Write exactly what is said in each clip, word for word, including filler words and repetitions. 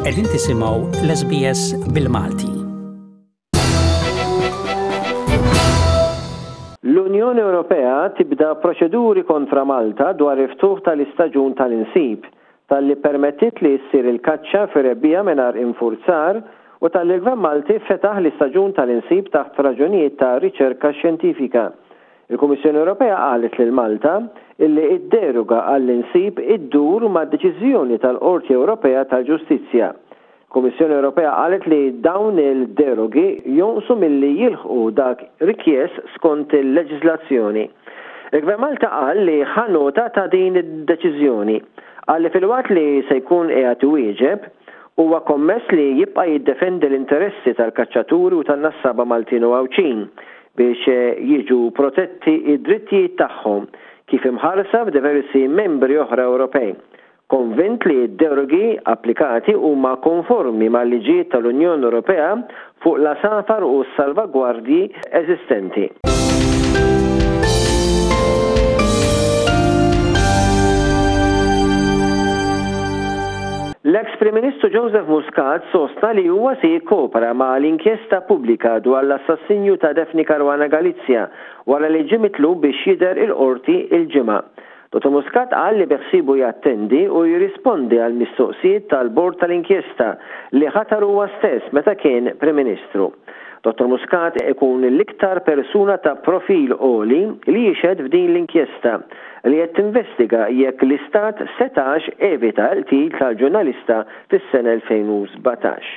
Qegħdin tisimgħu l-S B S bil-Malti. L-Unjoni Ewropea tibda proċeduri kontra Malta dwar il-ftuħ tal-istaġun tal-insib, talli permettit li ssir il-kaċċa fir-rebbiegħa mingħajr infurzar u talli l-Gvern Malti fetaħ l-istaġun tal-insib taħt raġunijiet ta' riċerka xjentifika. Il-Kummissjoni Ewropea qalet lil Malta illi id-deroga għall-insib iddur ma' deċiżjoni tal-Qorti Ewropea tal-Ġustizzja. Kummissjoni Ewropea qalet li dawn il-derogi jonqsu milli jilħqu dak rikjest skont il-leġiżlazzjoni. Il-Gvern Malta qal li ħa nota ta' din id-deċiżjoni. Qal li filwaqt li se jkun qiegħed iwieġeb, huwa kommess li jibqa' jiddefendi l-interessi tal-kaċċaturi u tan-nassaba Maltin u Għawdxin biex jiġu protetti id-drittijiet tagħhom kif imħarsa f'diversi membri oħra Ewropej. Konvint li d-derogi applikati huma konformi mal-liġijiet tal-Unjoni Ewropea fuq l-għasafar u s-salvagwardji eżistenti. L-ex Prim Ministru Joseph Muscat sostna li huwa se jikkopera ma' l-inkjesta pubblika dwar l-assassinju ta' Daphne Caruana Galizia wara li ġie mitlub biex jidher il-qorti il-Ġimgħa. Dottor Muscat qal li beħsibu jattendi u jirrispondi għal mistoqsijiet tal-bord tal-inkjesta li ħatar huwa stess meta kien Prim Ministru. Dottor Muscat ikun l-iktar persuna ta' profil għoli li jixhed f'din l-inkjesta li qed tinvestiga jekk l-Istat setax evita l-qtil tal-ġurnalista fis-sena elfejn u sbatax.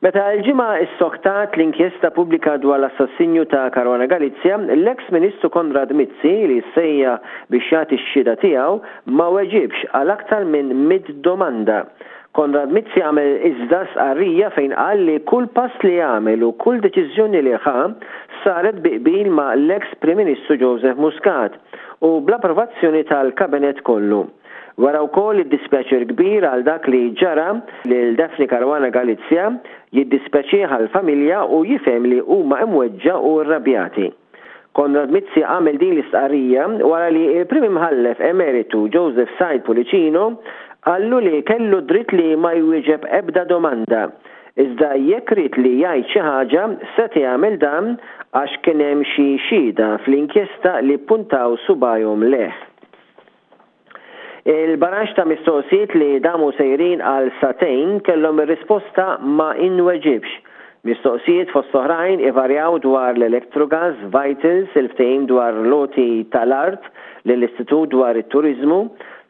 Meta l-Ġimgħa issoktat l-inkjesta pubblika dwar l-assassinju ta' Caruana Galizia, l-ex Ministru Konrad Mizzi, li sejjaħ biex jagħti x-xhieda tiegħu, ma weġibx għal aktar minn mitt domanda. Konrad Mizzi għamel iżda stqarrija fejn qal li kull pass li għamel u kull deċiżjoni li ħa saret bi qbil ma' l-ex Prim Ministru Joseph Muscat u bl-approvazzjoni tal-kabinet kollu. Wera wkoll id-dispjaċir kbir għal dak li ġara lil Daphne Caruana Galizia, jiddispjaċih għal-familja u jifhem li huma imweġġa' u rrabjati. Konrad Mizzi għamel din l-istqarrija wara li il-Prim Imħallef Emeritu Joseph Said Pullicino qallu li kellu dritt li ma jwieġeb ebda domanda. Iżda jekk ried li jgħid xi ħaġa seta' jagħmel dan għax kien hemm xi xhieda fl-inkjesta li puntaw subajhom lejh. Il-baraxx ta' mistoqsijiet li damu sejrin għal sagħtejn kellhom ir-risposta "ma inweġibx". Mistoqsijiet fost oħrajn ivarjaw dwar l-Electrogas, Vitals, il-ftehim dwar l-għoti tal-art lill-Istitut dwar it-Turizmu,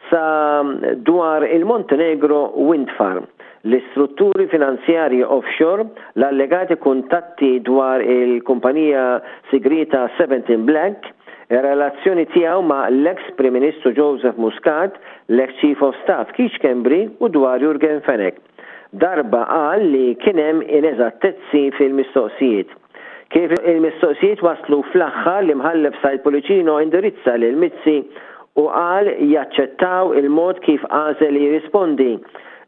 sa dwar il-Montenegro Wind Farm, l-istrutturi finanzjarji offshore, l-allegati kuntatti dwar il-kumpanija sigrita seventeen Black, relazzjoni tiegħu ma' l-ex Prim Ministru Joseph Muscat, l-ex Chief of Staff Keith Schembri u dwar Yorgen Fenech. Darba qal li kien hemm ineżattezzi fil-mistoqsijiet. Kif il-mistoqsijiet waslu fl-aħħar, l-imħallef Said Pullicino indirizza lil Mizzi u qal jaċċettaw il-mod kif għażel li jirrispondi.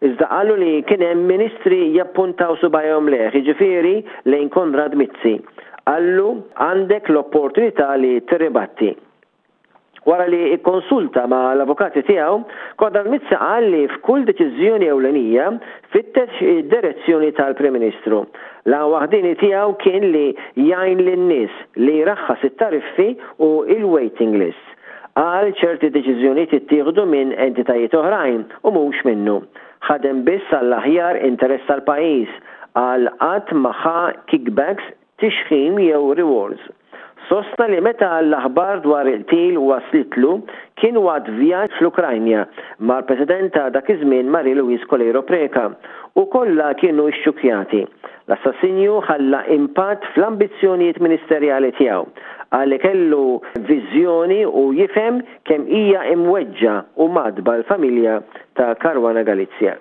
Iżda qalu li kien hemm ministri jappuntaw subajhom lejh, jiġifieri lejn Konrad Mizzi. Qallu għandek l-opportunità li tirribatti. Wara li ikkonsulta ma' l-avukati tiegħu, Konrad Mizzi qal li f'kull deċiżjoni ewlenija fittex id-direzzjoni tal-Prim Ministru. L-għan waħdieni tiegħu kien li jgħin lin-nies, li jraħħas it-tariffi u il-waiting list. Qal ċerti deċiżjonijiet ittieħdu minn entitajiet oħrajn u mhux minnu. Ħadem biss għall-aħjar interess tal-pajjiż, qal qatt ma ħa kickbacks, tixħim jew rewards. Sostna li meta l-aħbar dwar il-qtil waslitlu kien waqt vjaġġ fl-Ukrajna mal-President ta' dak iż-żmien Marie Louise Coleiro Preca u kollha kienu xxukjati. L-assassinju ħalla impatt fl-ambizzjonijiet ministerjali tiegħu. Qal li kellu viżjoni u jifhem kemm hija imweġġa u mgħaddba l-familja ta' Caruana Galizia.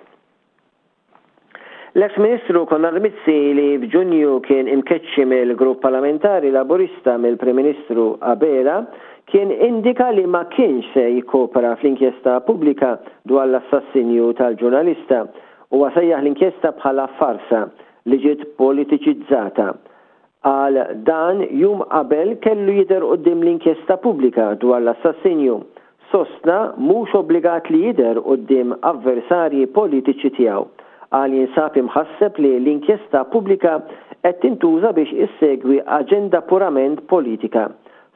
L-ex Ministru Konrad Mizzi, li f'Ġunju kien imkeċċi mill-grupp parlamentari Laburista mill-Prim Ministru Abela, kien indika li ma kienx se jikkopera fl-inkjesta pubblika dwar l-assassinju tal-ġurnalista u sejjaħ l-inkjesta bħala farsa li ġiet politiċizzata. Qal dan jum qabel kellu jidher quddiem l-inkjesta pubblika dwar l-assassinju. Sostna mhux obbligat li jidher quddiem avversarji politiċi tiegħu. Qal jinsab imħasseb li l-inkjesta pubblika qed tintuża biex issegwi aġenda purament politika.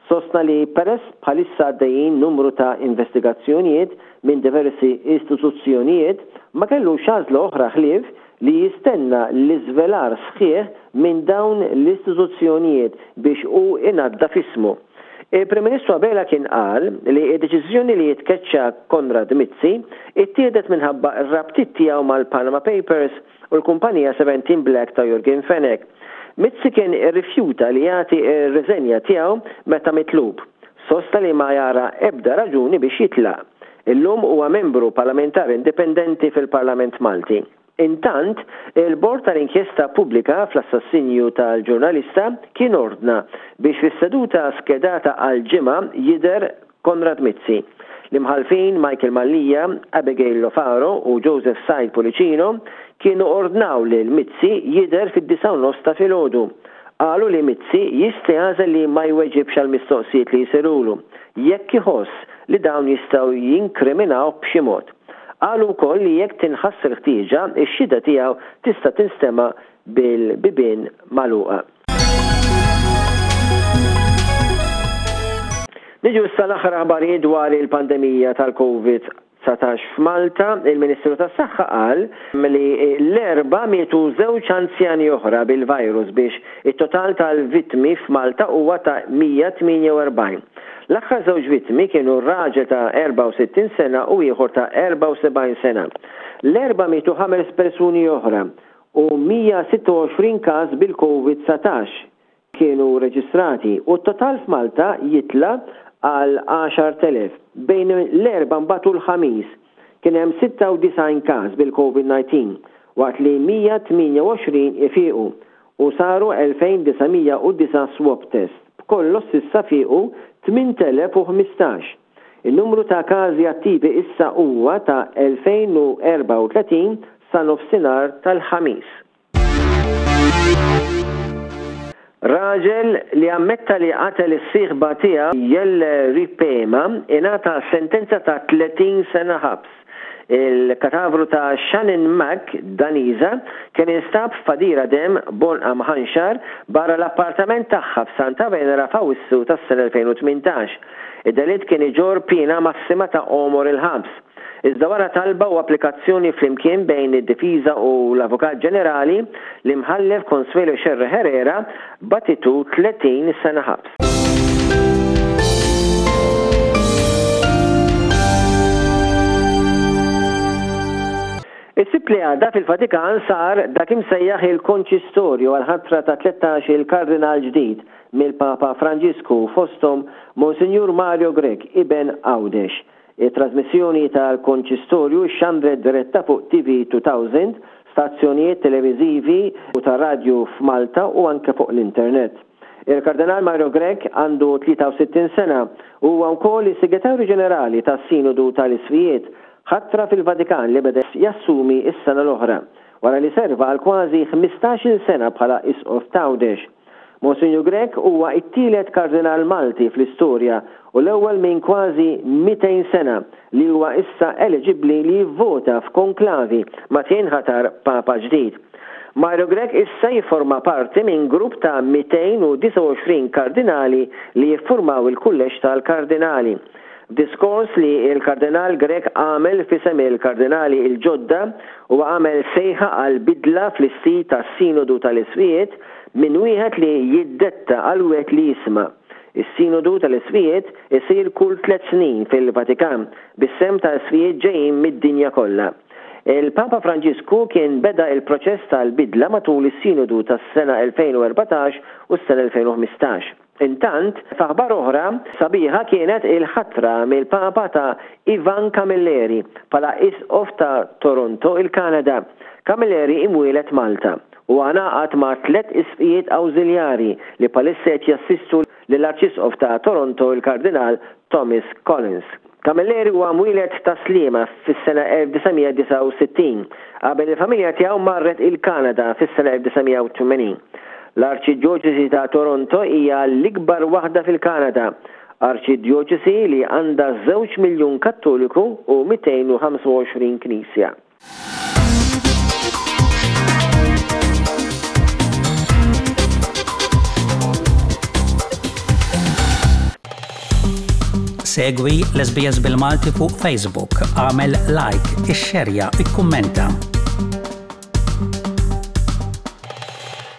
Sostna li peress bħalissa għaddejjin numru ta' investigazzjonijiet minn diversi istituzzjonijiet, ma kellux għażla oħra ħlief li jistenna l-iżvelar sħiħ minn dawn l-istituzzjonijiet biex hu inaddaf ismu. Il-Prim Ministru Abela kien qal li d-deċiżjoni li jitkeċċa Konrad Mizzi ittieħdet minħabba r-rabtiet tiegħu mal-Panama Papers u l-kumpanija Seventeen Black ta' Yorgen Fenech. Mizzi kien irrifjuta li jagħti r-riżenja tiegħu meta mitlub. Sostna li ma jara ebda raġuni biex jitlaq. Illum huwa membru parlamentari indipendenti fil-Parlament Malti. Intant, il-Bord tal-Inkjesta Pubblika fl-assassinju tal-ġurnalista kien ordna biex fis-seduta skedata għal ġimgħa jidher Konrad Mizzi. L-imħallfin Michael Mallia, Abigail Lofaro u Joseph Said Pullicino kienu ordnaw lil Mizzi jidher fid-disgħa u nofs ta' filgħodu. Qalu li Mizzi jista' jagħżel li ma jweġibx għall-mistoqsijiet li jsirulu jekk iħoss li dawn jistgħu jinkriminaw b'xi mod. Qalu wkoll li jekk tinħass il-ħtieġa, ix-xhieda tiegħu tista' tinstema' bil-bibien magħluqa. Niġu issa l-aħħar aħbarijiet dwar il-pandemija tal-Covid dsatax f'Malta. Il-Ministru tas-Saħħa qal li l-Erbgħa mietu żewġ anzjani oħra bil-virus biex it-total tal-vittmi f'Malta huwa ta' mija tmienja u erbgħin. L-aħħar żewġ vittmi kienu raġel ta' erbgħa u sittin sena u ieħor ta' erbgħa u sebgħin sena. L-Erbgħa mietu ħames persuni oħra u mija sitta u għoxrin każ bil-Covid dsatax kienu reġistrati u t-total f'Malta jitla' għal għaxart elef. Bejn l-Erbgħa mbagħad u l-Ħamis kien hemm sitta u disgħin każ bil-Covid nineteen waqt li mija tmienja u għoxrin ifiequ u saru elfejn disa' mija u disa' swab test. B'kollox s'issa fiequ tmint elef u ħmistax. In-numru ta' każi attivi issa huwa ta' elfejn u erbgħa u tletin sa nofsinhar tal-Ħamis. Raġel li ammetta li qatel is-sieħba tiegħu Jelle Ripema ingħata sentenza ta' tletin sena ħabs. Il-katavru ta' Shannon Mack, Daniża, kien instab f'għadira demm b'għonqa mħanxar barra l-appartament tagħha f'Santa Venera f'Awwissu tas-sena elfejn u tmintax. Id-delitt kien iġorr piena massima ta' għomor il-ħabs. Iżda wara talba u applikazzjoni flimkien bejn id-difiża u l-Avukat Ġenerali, l-imħallef Consuelo Scerri Herrera batitu tletin sena ħabs. Is-Sibt li għadda fil-Vatikan sar dak imsejjaħ il-konċistorju għal-ħatra ta' tlettax il-kardinal ġdid mill-Papa Franġisku, fosthom Monsinjur Mario Grech, iben Għawdex. Il-trasmissjoni tal-konċistorju xandret diretta fuq T V two thousand, stazzjonijiet televiżivi u ta' radju f'Malta u anke fuq l-internet. Il-Kardinal Mario Grech għandu tlieta u sittin sena u huwa wkoll is-Segretarju Ġenerali tas-Sinodu tal-Isqfijiet, ħatra fil-Vatikan li beda jassumi s-sena l-oħra, wara li serva għal kważi ħmistax-il sena bħala Isqof t'Għawdex. Monsinjur Grech huwa t-tielet kardinal Malti fl-istorja u l-ewwel minn kważi mitejn sena li huwa issa eliġibbli li jivvota f'konklavi meta jinħatar Papa ġdid. Mario Grech issa jifforma parti minn grupp ta' mitejn u disgħa u għoxrin kardinali li jiffurmaw il-kulleġġ tal-kardinali. Diskors li il-Kardinal Grech għamel f'isem il-Kardinali il-ġodda u għamel sejħa għal bidla fl-istil tas-Sinodu tal-Isqfijiet minn wieħed li jiddetta għal wieħed li jisma'. Is-Sinodu tal-Isqfijiet isir kull tliet snin fil-Vatikan bis-sehem ta' isqfijiet ġejjin mid-dinja kollha. Il-Papa Franġisku kien beda il-proċess tal-bidla matul is-Sinodu tas-sena elfejn u erbatax u s-sena elfejn u ħmistax. Intant, f'aħbar oħra sabiħa kienet il-ħatra mill-Papa ta' Ivan Camilleri bħala Isqof ta' Toronto, il-Kanada. Camilleri imwielet Malta u ngħaqad ma' tliet isqfijiet awżiljari li bħalissa qed jassistu lill-Arċisqof ta' Toronto, il-Kardinal Thomas Collins. Camilleri huwa mwieled ta' Sliema fis-sena elf disa' mija disgħa u sittin, qabel il-familja tiegħu marret il-Kanada fis-sena elf disa' mija u tmenin. L-Arċidjoċesi ta' Toronto hija l-ikbar waħda fil-Kanada. Arċidjoċesi li għandha żewġ miljun Kattoliku u mitejn u ħamsa u għoxrin knisja. Segwi l-S B S bil-Malti fuq Facebook, għamel like, ixxerja, ikkummenta.